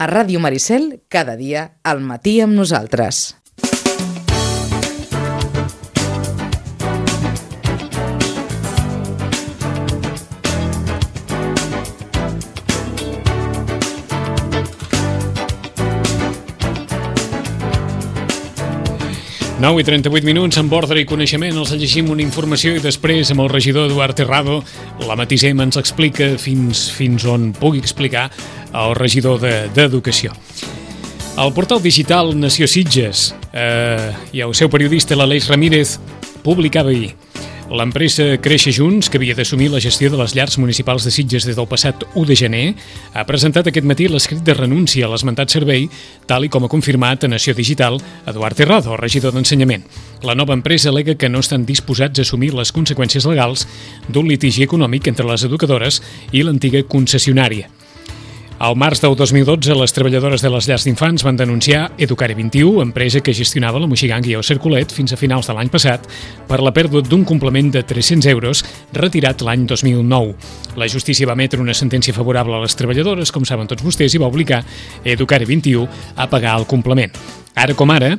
A Ràdio Maricel, cada dia, al matí amb nosaltres. Nou i 38 minuts amb ordre i coneixement, els llegim una informació i després amb el regidor Eduard Terrado la matisem, ens explica fins on pugui explicar el regidor d'Educació. El portal digital Nació Sitges i el seu periodista l'Aleix Ramírez publicava ahir: l'empresa Créixer Junts, que havia d'assumir la gestió de les llars municipals de Sitges des del passat 1 de gener, ha presentat aquest matí l'escrit de renúncia a l'esmentat servei, tal i com ha confirmat a Nació Digital Eduard Terrado, regidor d'Ensenyament. La nova empresa al·lega que no estan disposats a assumir les conseqüències legals d'un litigi econòmic entre les educadores i l'antiga concessionària. Al març del 2012, les treballadores de les llars d'infants van denunciar Educare 21, empresa que gestionava la Moixiganga i el Cercolet fins a finals de l'any passat, per la pèrdua d'un complement de 300 euros retirat l'any 2009. La justícia va emetre una sentència favorable a les treballadores, com saben tots vostès, i va obligar Educare 21 a pagar el complement. Ara com ara,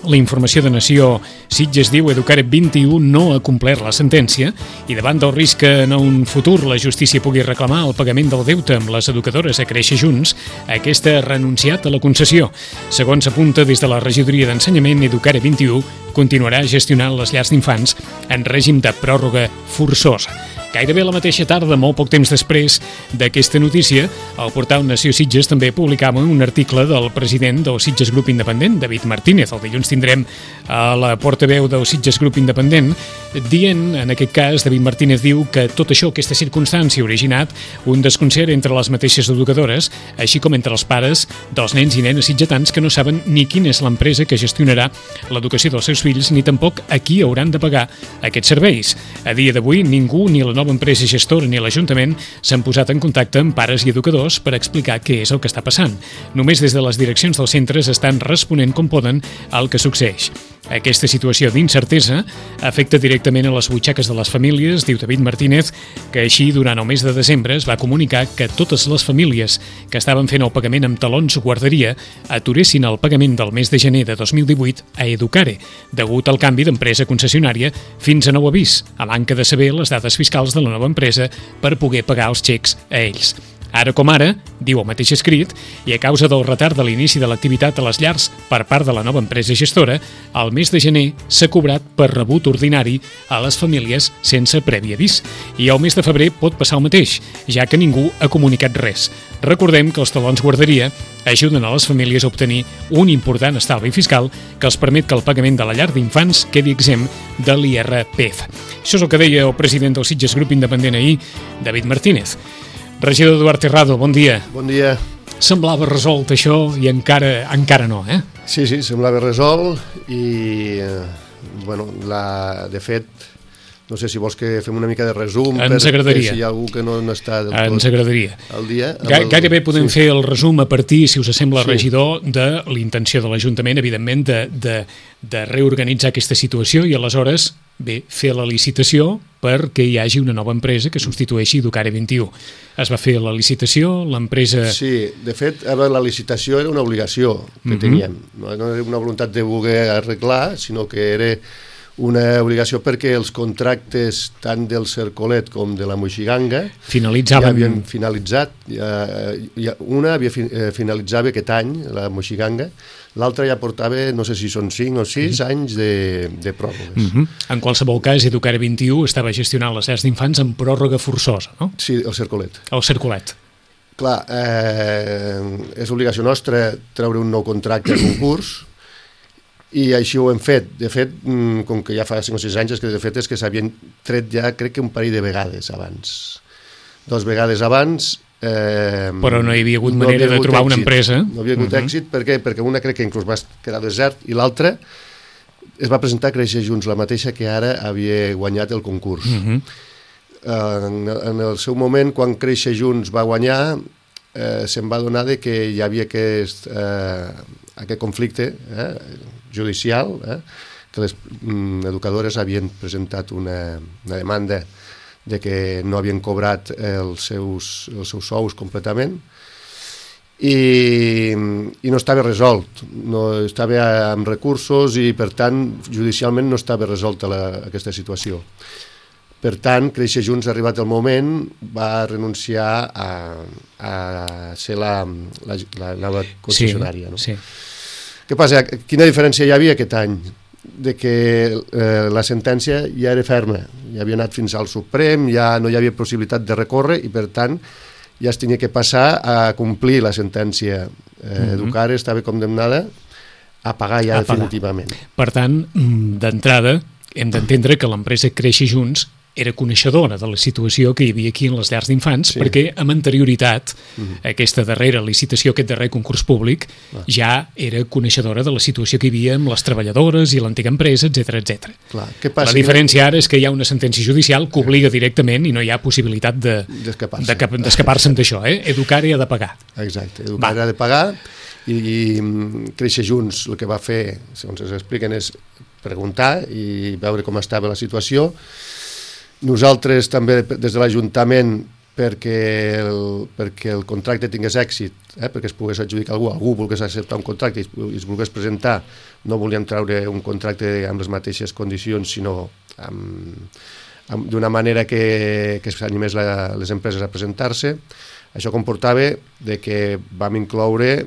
la informació de Nació Sitges diu: Educare 21 no ha complert la sentència i davant del risc que en un futur la justícia pugui reclamar el pagament del deute amb les educadores a Créixer Junts, aquesta ha renunciat a la concessió. Segons apunta des de la regidoria d'Ensenyament, Educare 21 continuarà gestionant les llars d'infants en règim de pròrroga forçosa. Gairebé la mateixa tarda, molt poc temps després d'aquesta notícia, el portal Nació Sitges també publicava un article del president del Sitges Grup Independent, David Martínez. El dilluns tindrem a la portaveu del Sitges Grup Independent dient, en aquest cas, David Martínez diu que tot això, aquesta circumstància, ha originat un desconcert entre les mateixes educadores, així com entre els pares dels nens i nenes sitgetans que no saben ni quina és l'empresa que gestionarà l'educació dels seus fills ni tampoc a qui hauran de pagar aquests serveis. A dia d'avui, ningú, ni la nova empresa gestora ni l'Ajuntament, s'han posat en contacte amb pares i educadors per explicar què és el que està passant. Només des de les direccions dels centres estan responent com poden al que succeeix. Aquesta situació d'incertesa afecta directament a les butxaques de les famílies, diu David Martínez, que així durant el mes de desembre es va comunicar que totes les famílies que estaven fent el pagament amb talons guarderia aturessin el pagament del mes de gener de 2018 a Educare, degut al canvi d'empresa concessionària fins a nou avís, a manca de saber les dades fiscals de la nova empresa per poder pagar els xecs a ells. Ara com ara, diu el mateix escrit, i a causa del retard de l'inici de l'activitat a les llars per part de la nova empresa gestora, el mes de gener s'ha cobrat per rebut ordinari a les famílies sense previ avís. I el mes de febrer pot passar el mateix, ja que ningú ha comunicat res. Recordem que els talons guarderia ajuden a les famílies a obtenir un important estalvi fiscal que els permet que el pagament de la llar d'infants quedi exempt de l'IRPF. Això és el que deia el president del Sitges Grup Independent ahir, David Martínez. Regidor Eduard Terrado, bon dia. Bon dia. Semblava resolt això i encara no, eh? Sí, semblava resolt i, de fet, no sé si vols que fem una mica de resum. Ens agradaria. Si hi ha algú que no està del tot Ens agradaria. al dia. Gairebé podem fer el resum a partir, si us sembla, regidor, de l'intenció de l'Ajuntament, evidentment, de reorganitzar aquesta situació i aleshores, fer la licitació perquè hi hagi una nova empresa que substitueixi Educare 21. Es va fer la licitació, l'empresa... Sí, de fet, la licitació era una obligació que teníem. No era una voluntat de voler arreglar, sinó que era una obligació perquè els contractes tant del Cercolet com de la Moixiganga ja havien finalitzat. Una finalitzava aquest any, la Moixiganga, l'altra ja portava, no sé si són 5 o 6 anys de pròrrogues. En qualsevol cas, Educare 21 estava gestionant les llars d'infants amb pròrroga forçosa, no? Sí, el Cercolet. El Cercolet. Clar, és obligació nostra treure un nou contracte a concurs i així ho hem fet. De fet, com que ja fa 5 o 6 anys, és que s'havien tret ja, crec que un parell de vegades abans. 2 vegades abans... Però no hi havia hagut manera de trobar una empresa. No havia hagut èxit, per què? Perquè una crec que inclús va quedar desert i l'altra es va presentar a Créixer Junts, la mateixa que ara havia guanyat el concurs. En el seu moment, quan Créixer Junts va guanyar, se'n va adonar que hi havia aquest conflicte judicial, que les educadores havien presentat una demanda de que no havien cobrat els seus sous completament i no estava resolt, no estava amb recursos i per tant judicialment no estava resolta aquesta situació. Per tant, Créixer Junts, arribat el moment, va renunciar a ser la nova concessionària. No? Sí. Què passa? Quina diferència hi havia aquest any? De que la sentència ja era ferma, ja havia anat fins al Suprem, ja no hi havia possibilitat de recórrer i per tant ja es tenia que passar a complir la sentència. Educare estava condemnada a pagar ja definitivament. Per tant, d'entrada, hem d'entendre que l'empresa Créixer Junts era coneixedora de la situació que hi havia aquí en les llars d'infants, perquè amb anterioritat, aquesta darrera licitació, aquest darrer concurs públic, ja era coneixedora de la situació que hi havia amb les treballadores i l'antiga empresa, etc. La diferència ara és que hi ha una sentència judicial que obliga directament i no hi ha possibilitat d'escapar-se'n d'això. Educare ha de pagar. Exacte, Educare ha de pagar i Créixer Junts el que va fer, segons ens expliquen, és preguntar i veure com estava la situació. Nosaltres també des de l'Ajuntament perquè el contracte tingués èxit, perquè es pogués adjudicar algú volgués acceptar un contracte i es volgués presentar, no volíem treure un contracte amb les mateixes condicions, sinó d'una manera que s'animés les empreses a presentar-se. Això comportava de que vam incloure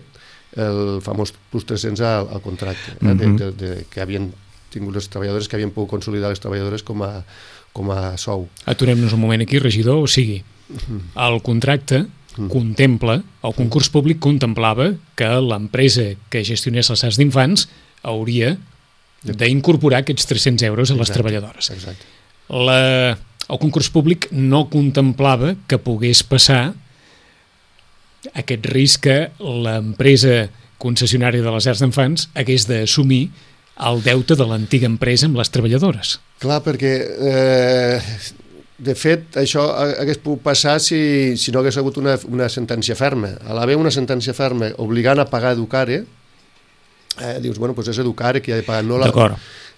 el famós plus 300 al contracte, que havien tingut les treballadores, que havien pogut consolidar les treballadores com a sou. Aturem-nos un moment aquí, regidor, o sigui, el contracte contempla, el concurs públic contemplava que l'empresa que gestionés les llars d'infants hauria d'incorporar aquests 300 euros a les treballadores. Exacte. El concurs públic no contemplava que pogués passar aquest risc que l'empresa concessionària de les llars d'infants hagués d'assumir el deute de l'antiga empresa amb les treballadores. Clar, perquè de fet això hagués pogut passar si no hagués hagut una sentència ferma. A l'haver una sentència ferma obligant a pagar Educare, dius, bueno, doncs és Educare qui ha de pagar, no la... D'acord.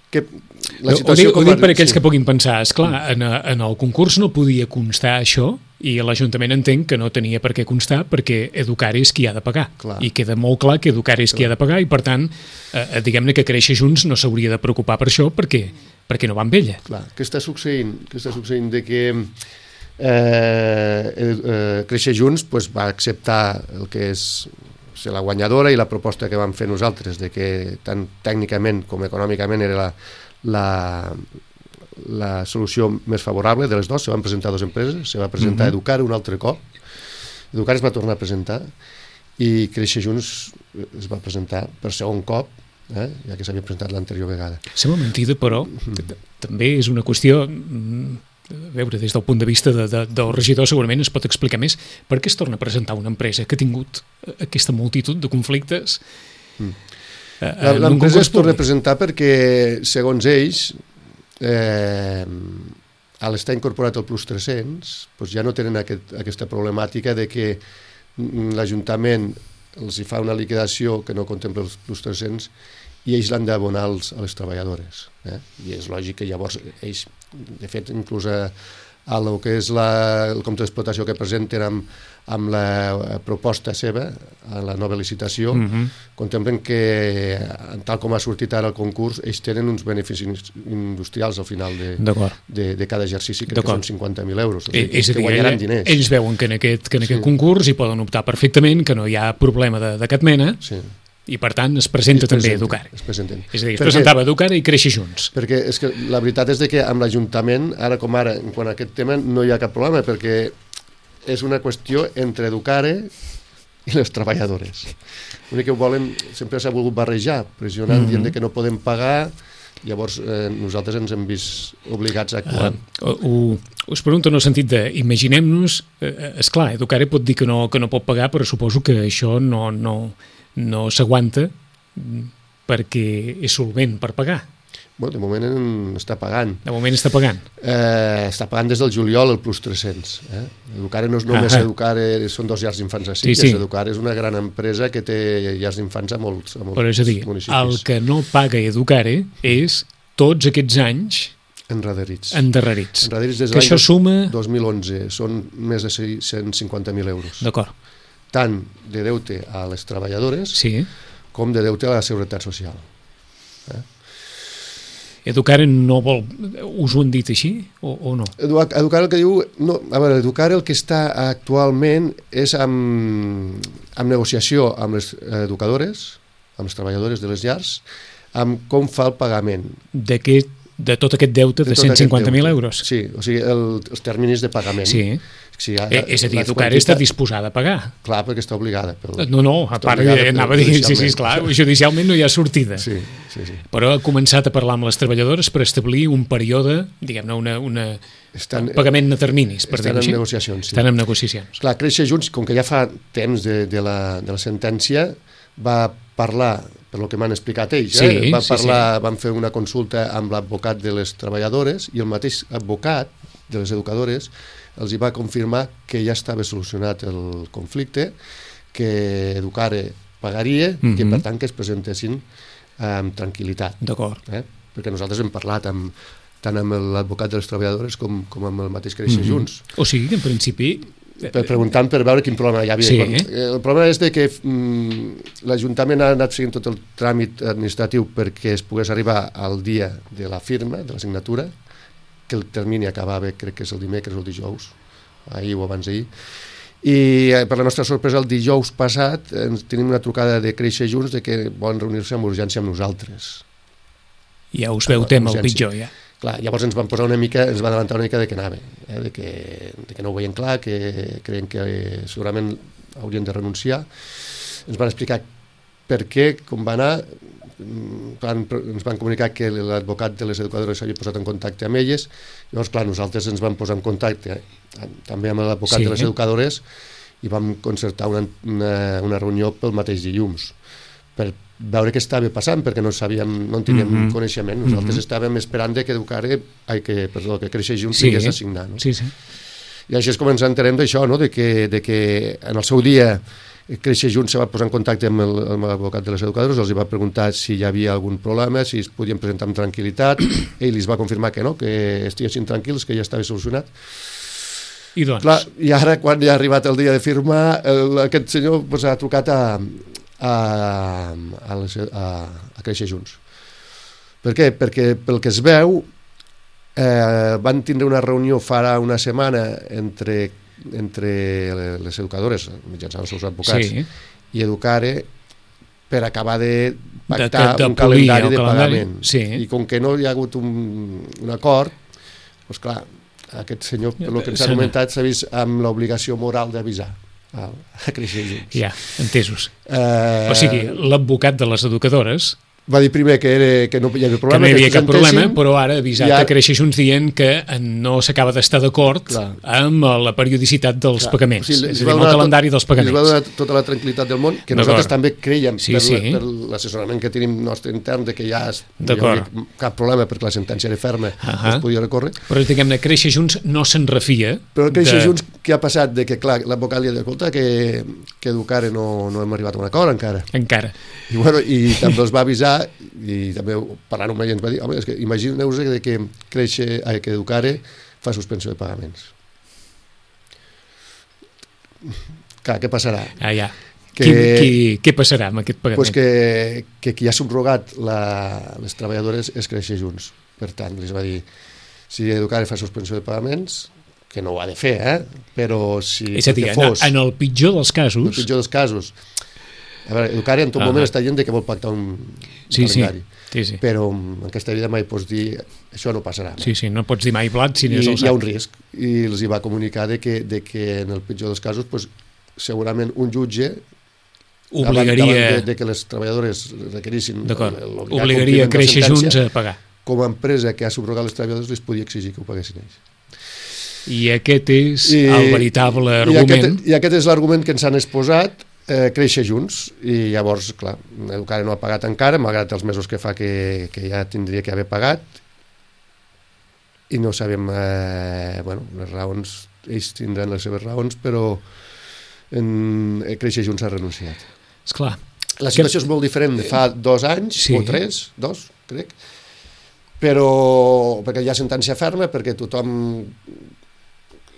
Ho dic per aquells que puguin pensar, esclar, en el concurs no podia constar això i l'Ajuntament entén que no tenia per què constar perquè Educare és qui ha de pagar. I queda molt clar que Educare és qui ha de pagar i per tant, diguem-ne que Créixer Junts no s'hauria de preocupar per això perquè no va amb ella. Clar, què està succeint? De que Créixer Junts va acceptar el que és ser la guanyadora i la proposta que vam fer nosaltres, de que tant tècnicament com econòmicament era la solució més favorable de les dues. Se van presentar dues empreses, se va presentar Educare un altre cop, Educare es va tornar a presentar i Créixer Junts es va presentar per segon cop, ja que s'havia presentat l'anterior vegada. Sembla mentida, però també és una qüestió... A veure, des del punt de vista del regidor segurament es pot explicar més per què es torna a presentar una empresa que ha tingut aquesta multitud de conflictes. L'empresa es torna a presentar perquè, segons ells, a l'estar incorporat al Plus 300, doncs ja no tenen aquesta problemàtica de que l'Ajuntament els hi fa una liquidació que no contempla els Plus 300 i ells l'han d'abonar a les treballadores. I és lògic que llavors ells, de fet, inclús a lo que és el compte d'explotació que presenten amb la proposta seva, a la nova licitació, contemplen que, tal com ha sortit ara el concurs, ells tenen uns beneficis industrials al final de cada exercici, que són 50.000 euros. És a dir, ells veuen que en aquest concurs hi poden optar perfectament, que no hi ha problema de cap mena, i per tant es presenta també Educare. És a dir, es presentava Educare i Créixer Junts. Perquè és que la veritat és que amb l'Ajuntament, ara com ara, en quant a aquest tema, no hi ha cap problema, perquè és una qüestió entre Educare i les treballadores. L'únic que volen, sempre s'ha volgut barrejar, pressionant, dient que no podem pagar, llavors nosaltres ens hem vist obligats a actuar. Us pregunto en el sentit de, imaginem-nos, esclar, Educare pot dir que no pot pagar, però suposo que això no s'aguanta perquè és solvent per pagar. Bueno, de moment està pagant. De moment està pagant. Està pagant des del juliol el Plus 300. Educare no és només Educare, són 2 llars d'infants a Sitges. Educare és una gran empresa que té llars d'infants a molts municipis. El que no paga Educare és tots aquests anys endarrerits. Que això suma... 2011, són més de 150.000 euros. D'acord. tant de deute a les treballadores com de deute a la Seguretat Social. Educar no vol... Us ho han dit així o no? Educar el que diu... No, a veure, Educar el que està actualment és amb negociació amb les educadores, amb les treballadores de les llars, amb com fa el pagament. De tot aquest deute de 150.000 euros? Sí, o sigui, els terminis de pagament. Sí. És a dir, Educar està disposada a pagar. Clar, perquè està obligada. No, a part, anava a dir, sí, clar, judicialment no hi ha sortida. Sí. Però ha començat a parlar amb les treballadores per establir un període, diguem-ne, un pagament de terminis, per dir-ho així. Estan en negociacions, sí. Estan en negociacions. Clar, Créixer Junts, com que ja fa temps de la sentència, va parlar, per lo que m'han explicat ells, van fer una consulta amb l'advocat de les treballadores i el mateix advocat de les educadores els hi va confirmar que ja estava solucionat el conflicte, que Educare pagaria i que per tant que es presentessin amb tranquil·litat. D'acord. Perquè nosaltres hem parlat tant amb l'advocat de les treballadores com amb el mateix Créixer Junts. O sigui que en principi... Preguntant per veure quin problema hi havia. El problema és que l'Ajuntament ha anat seguint tot el tràmit administratiu perquè es pogués arribar al dia de la firma, de la signatura, que el termini acabava, crec que és el dimecres o el dijous, ahir o abans d'ahir, i per la nostra sorpresa el dijous passat tenim una trucada de Créixer Junts de que volen reunir-se amb urgència amb nosaltres. Ja us veu tema el pitjor, ja. Clar, llavors ens van adelantar una mica de que anava, de que no ho veien clar, que creien que segurament haurien de renunciar. Ens van explicar per què, com va anar, ens van comunicar que l'advocat de les educadores s'havia posat en contacte amb elles, llavors clar, nosaltres ens vam posar en contacte també amb l'advocat de les educadores i vam concertar una reunió pel mateix dilluns per veure què estava passant, perquè no en teníem coneixement. Nosaltres estàvem esperant que que Créixer Junts vingués a signar. I així és com ens entenem d'això, de que en el seu dia Créixer Junts se va posar en contacte amb l'advocat de les educadores, els va preguntar si hi havia algun problema, si es podien presentar amb tranquil·litat, ell li va confirmar que no, que estiguessin tranquils, que ja estava solucionat. I doncs? Clar, i ara, quan ja ha arribat el dia de firmar, aquest senyor ha trucat a Créixer Junts. Per què? Perquè pel que es veu van tindre una reunió fa una setmana entre les educadores, mitjançant els seus advocats, i Educare per acabar de pactar un calendari de pagament. I com que no hi ha hagut un acord, doncs clar, aquest senyor, pel que ens ha comentat, s'ha vist amb l'obligació moral d'avisar a Créixer Junts. Ja, entesos. O sigui, l'advocat de les educadores va dir primer que no hi havia problema, que no hi havia cap problema, però ara ha avisat a Créixer Junts dient que no s'acaba d'estar d'acord amb la periodicitat dels pagaments, és a dir, amb el calendari dels pagaments. Ens va donar tota la tranquil·litat del món, que nosaltres també creiem per l'assessorament que tenim nostre intern de que ja no hi havia cap problema perquè la sentència era ferma, es podia recórrer. Però diguem-ne, Créixer Junts no se'n refia. Però Créixer Junts, què ha passat? Que clar, l'advocat li ha dit, escolta, que Educare no hem arribat a un acord encara. I també els va avisar i també parlant amb ell ens va dir, home, és que imagineu-vos que Educare fa suspensió de pagaments. Clar, què passarà? Què passarà amb aquest pagament? Pues que qui ha subrogat les treballadores és Créixer Junts. Per tant, els va dir, si Educare fa suspensió de pagaments, que no ho ha de fer, però si... És a dir, en el pitjor dels casos... En el pitjor dels casos... A veure, Educare en tot moment està dient que vol pactar un calendari. Però en aquesta vida mai pots dir això no passarà. No pots dir mai blat si n'és el sac. Hi ha un risc. I els hi va comunicar que en el pitjor dels casos segurament un jutge obligaria de que les treballadores requerissin obligaria Créixer Junts a pagar. Com a empresa que ha subrogat les treballadores les podia exigir que ho paguessin ells. I aquest és el veritable argument. I aquest és l'argument que ens han exposat Créixer Junts, i llavors, clar, Educare no ha pagat encara, malgrat els mesos que fa que ja tindria que haver pagat, i no sabem, les raons, ells tindran les seves raons, però Créixer Junts ha renunciat. Esclar. La situació és molt diferent de fa 2 anys, o 3, crec, però perquè hi ha sentència ferma, perquè tothom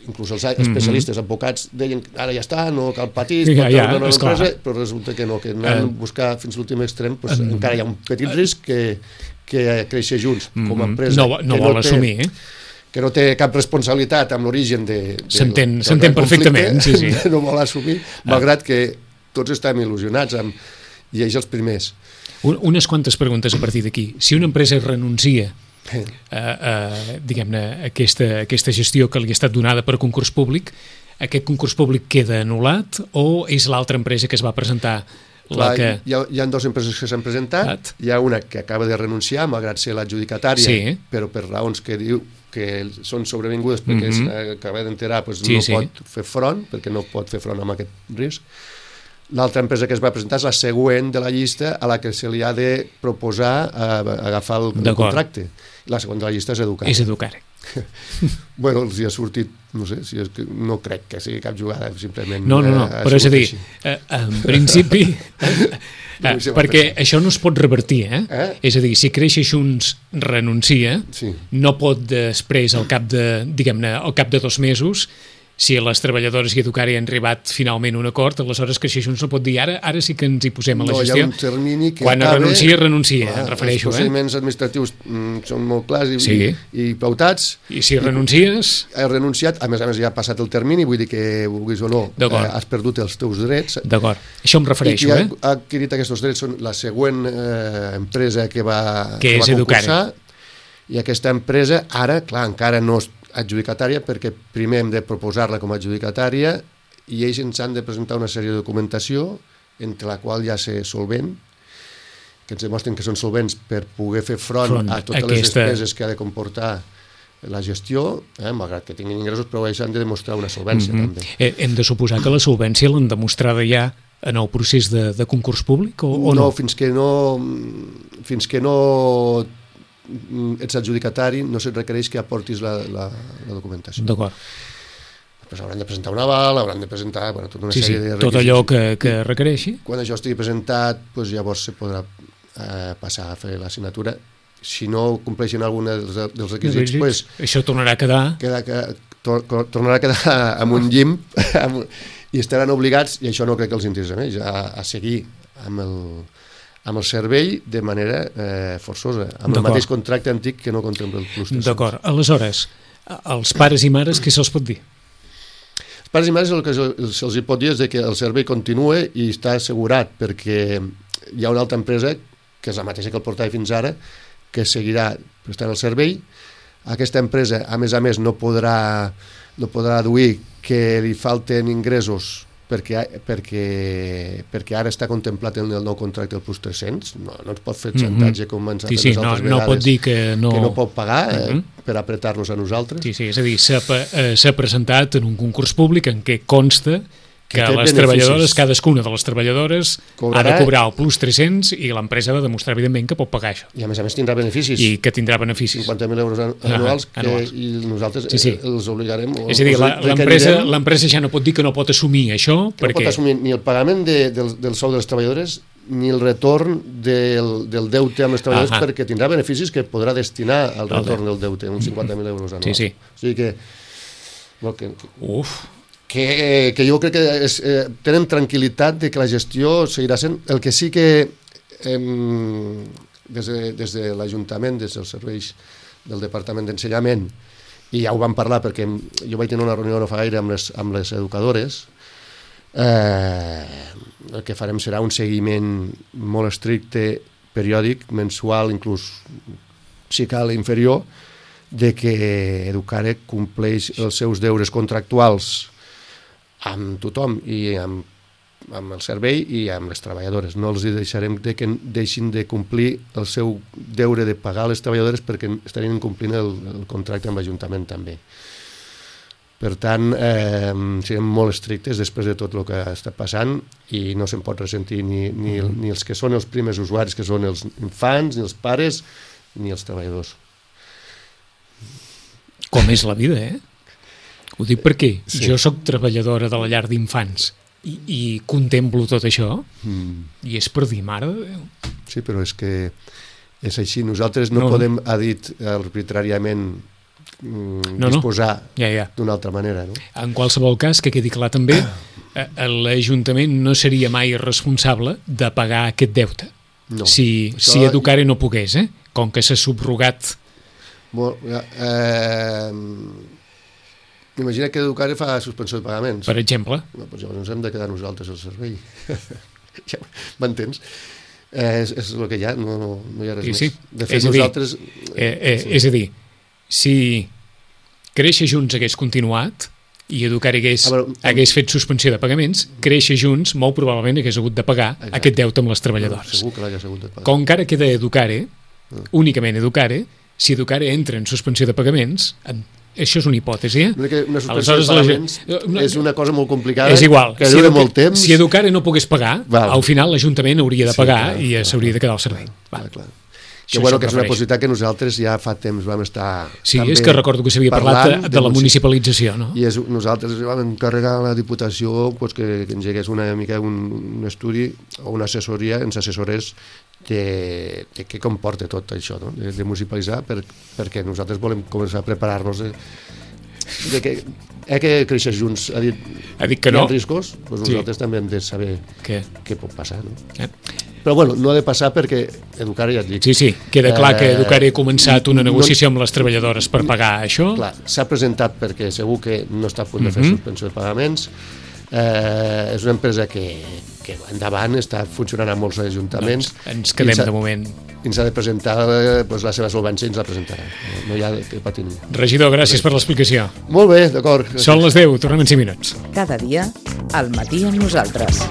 inclús els especialistes, advocats, deien ara ja està, no cal patir, però resulta que no, que anant a buscar fins a l'últim extrem, encara hi ha un petit risc que creixer junts com a empresa. No vol assumir, que no té cap responsabilitat amb l'origen s'entén perfectament, sí. No vol assumir, malgrat que tots estem il·lusionats i ells els primers. Unes quantes preguntes a partir d'aquí. Si una empresa renuncia diguem-ne, aquesta gestió que li ha estat donada per concurs públic, aquest concurs públic queda anul·lat o és l'altra empresa que es va presentar? Hi ha dues empreses que s'han presentat, hi ha una que acaba de renunciar, malgrat ser l'adjudicatària, però per raons que diu que són sobrevingudes perquè s'acaba d'enterar, no pot fer front, perquè no pot fer front amb aquest risc. L'altra empresa que es va presentar és la següent de la llista a la que se li ha de proposar agafar el contracte. La següent de la llista és Educare. És Educare. Bueno, els hi ha sortit, no sé, no crec que sigui cap jugada, simplement... No, però és a dir, en principi... perquè això no es pot revertir, És a dir, si Créixer Junts renuncia, no pot després, al cap de 2 mesos, si les treballadores i Educare han arribat finalment a un acord, aleshores Créixer Junts no pot dir ara sí que ens hi posem a la gestió. No, hi ha un termini que quan renuncia, em refereixo. Els procediments administratius són molt clars i pautats. I si renuncies... Has renunciat, a més ja ha passat el termini, vull dir que, vulguis o no, has perdut els teus drets. D'acord, això em refereixo. I qui ha adquirit aquests drets són la següent empresa que va concursar, i aquesta empresa ara, clar, encara no és adjudicatària, perquè primer hem de proposar-la com a adjudicatària i ells ens han de presentar una sèrie de documentació entre la qual ja ser solvent, que ens demostren que són solvents per poder fer front a totes les despeses que ha de comportar la gestió, malgrat que tinguin ingressos, però ells han de demostrar una solvència també. Hem de suposar que la solvència l'han demostrada ja en el procés de concurs públic o no? No, fins que no ets adjudicatari, no se't requereix que aportis la documentació. D'acord. Després hauran de presentar un aval, hauran de presentar tota una sèrie de requisits. Tot allò que requereixi. Quan això estigui presentat, llavors se podrà passar a fer la signatura. Si no compleixen algun dels requisits, això tornarà a quedar... Tornarà a quedar amb un llim i estaran obligats, i això no crec que els interessa més, a seguir amb el servei de manera forçosa, amb el mateix contracte antic que no contempla el plus 300. D'acord. Aleshores, als pares i mares, què se'ls pot dir? Els pares i mares el que se'ls pot dir és que el servei continua i està assegurat, perquè hi ha una altra empresa, que és la mateixa que el portava fins ara, que seguirà prestant el servei. Aquesta empresa, a més, no podrà aduir que li falten ingressos perquè ara està contemplat en el nou contracte del plus 300, no es pot fer xantatge com ens ha fet les altres vegades, no pot dir que no pot pagar per apretar-nos a nosaltres. Sí, és a dir, s'ha presentat en un concurs públic en què consta que les treballadores, cadascuna de les treballadores ha de cobrar el plus 300 i l'empresa ha de demostrar evidentment que pot pagar això. I a més tindrà beneficis. I que tindrà beneficis. 50.000 euros anuals i nosaltres els obligarem. És a dir, l'empresa ja no pot dir que no pot assumir això. No pot assumir ni el pagament del sou de les treballadores ni el retorn del deute amb les treballadores, perquè tindrà beneficis que podrà destinar al retorn del deute, uns 50.000 euros anuals. O sigui que... que jo crec que tenen tranquil·litat de que la gestió seguirà sent. El que sí que des de l'Ajuntament, des dels serveis del Departament d'Ensenyament, i ja ho vam parlar perquè jo vaig tenir una reunió no fa gaire amb les educadores, el que farem serà un seguiment molt estricte, periòdic, mensual, inclús si cal inferior, de que Educare compleix els seus deures contractuals amb tothom i amb el servei i amb les treballadores. No els deixarem que deixin de complir el seu deure de pagar a les treballadores perquè estarien incomplint el contracte amb l'Ajuntament també. Per tant, serem molt estrictes després de tot el que està passant i no se'n pot ressentir ni els que són els primers usuaris, que són els infants, ni els pares, ni els treballadors. Com és la vida, Ho dic perquè jo sóc treballadora de la llar d'infants i contemplo tot això i és per dir, mare de Déu. Sí, però és que és així. Nosaltres no podem, ha dit arbitràriament disposar Ja. d'una altra manera. No? En qualsevol cas, que quedi clar també, l'Ajuntament no seria mai responsable de pagar aquest deute. No. Si Educare no pogués, com que s'ha subrogat. Imagina que Educare fa suspensió de pagaments. Per exemple. No, doncs llavors ens hem de quedar nosaltres al servei. M'entens? És el que hi ha, no hi ha res més. De fet, nosaltres... És a dir, si Créixer Junts hagués continuat i Educare hagués fet suspensió de pagaments, Créixer Junts molt probablement hagués hagut de pagar aquest deute amb les treballadores. Segur que l'hagués hagut de pagar. Com que ara queda Educare, únicament Educare, si Educare entra en suspensió de pagaments, això és una hipòtesi, Una suspensió de pagaments és una cosa molt complicada. És igual. Que dura molt temps. Si Educare no pogués pagar, al final l'Ajuntament hauria de pagar i s'hauria de quedar al servei. Clar. Que és una possibilitat que nosaltres ja fa temps vam estar... Sí, és que recordo que s'havia parlat de la municipalització, no? I nosaltres vam encarregar a la Diputació que engegués una mica un estudi o una assessoria, ens assessorés de què comporta tot això, no? De municipalitzar, perquè nosaltres volem començar a preparar-nos que Créixer Junts ha dit que no. Hi ha riscos, doncs nosaltres també hem de saber què pot passar, no? Però bueno, no ha de passar perquè Educare, ja et dic... Sí, queda clar que Educare ha començat una negociació amb les treballadores per pagar això. Clar, s'ha presentat perquè segur que no està a punt de fer suspensió de pagaments. És una empresa que endavant està funcionant a molts ajuntaments. Doncs ens quedem de moment. I ens ha de presentar la seva solvència i ens la presentarà. No hi ha que patir. Regidor, gràcies per l'explicació. Molt bé, d'acord. Són les 10, tornem en 5 minuts. Cada dia, al matí amb nosaltres.